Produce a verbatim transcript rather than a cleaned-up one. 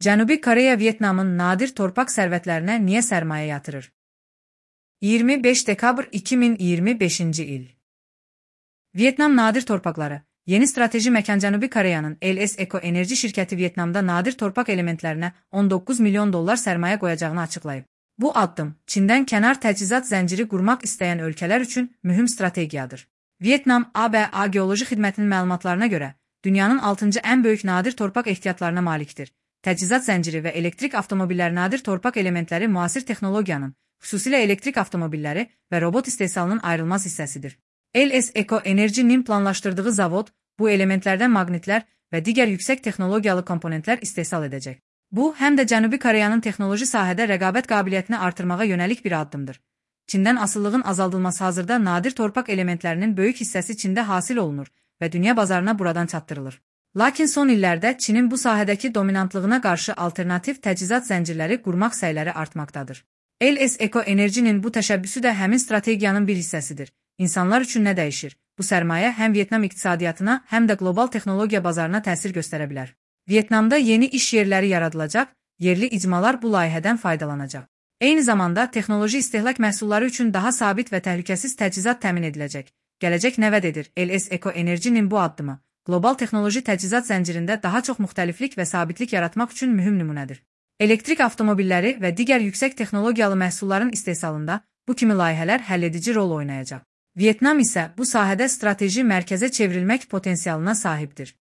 Cənubi Koreya Vyetnamın nadir torpaq sərvətlərinə niyə sərmayə yatırır? iyirmi beş dekabr iki min iyirmi beşinci il. Vyetnam nadir torpaqları. Yeni strateji məkan Cənubi Koreyanın L S Eco Enerji şirkəti Vyetnamda nadir torpaq elementlərinə on doqquz milyon dollar sərmayə qoyacağını açıqlayıb. Bu addım Çindən kənar təchizat zənciri qurmaq istəyən ölkələr üçün mühüm strategiyadır. Vyetnam A B A Geoloji Xidmətinin məlumatlarına görə dünyanın altıncı ən böyük nadir torpaq ehtiyatlarına malikdir. Təchizat zənciri və elektrik avtomobilləri nadir torpaq elementləri müasir texnologiyanın, xüsusilə elektrik avtomobilləri və robot istehsalının ayrılmaz hissəsidir. L S Eco Enerji-nin planlaşdırdığı zavod bu elementlərdən maqnitlər və digər yüksək texnologiyalı komponentlər istehsal edəcək. Bu, həm də Cənubi Koreyanın texnoloji sahədə rəqabət qabiliyyətini artırmağa yönəlik bir addımdır. Çindən asıllığın azaldılması hazırda nadir torpaq elementlərinin böyük hissəsi Çində hasil olunur və dünya bazarına buradan çatdırılır. Lakin son illərdə Çinin bu sahədəki dominantlığına qarşı alternativ təchizat zəncirləri qurmaq səyləri artmaqdadır. L S Eco Enerji-nin bu təşəbbüsü də həmin strategiyanın bir hissəsidir. İnsanlar üçün nə dəyişir? Bu sərmayə həm Vyetnam iqtisadiyyatına, həm də qlobal texnologiya bazarına təsir göstərə bilər. Vyetnamda yeni iş yerləri yaradılacaq, yerli icmalar bu layihədən faydalanacaq. Eyni zamanda texnoloji istehlak məhsulları üçün daha sabit və təhlükəsiz təchizat təmin ediləcək. Gələcək nəvəd edir. L S Eco Enerji-nin bu addımı qlobal texnoloji təchizat zəncirində daha çox müxtəliflik və sabitlik yaratmaq üçün mühüm nümunədir. Elektrik avtomobilləri və digər yüksək texnologiyalı məhsulların istehsalında bu kimi layihələr həlledici rol oynayacaq. Vyetnam isə bu sahədə strateji mərkəzə çevrilmək potensialına sahibdir.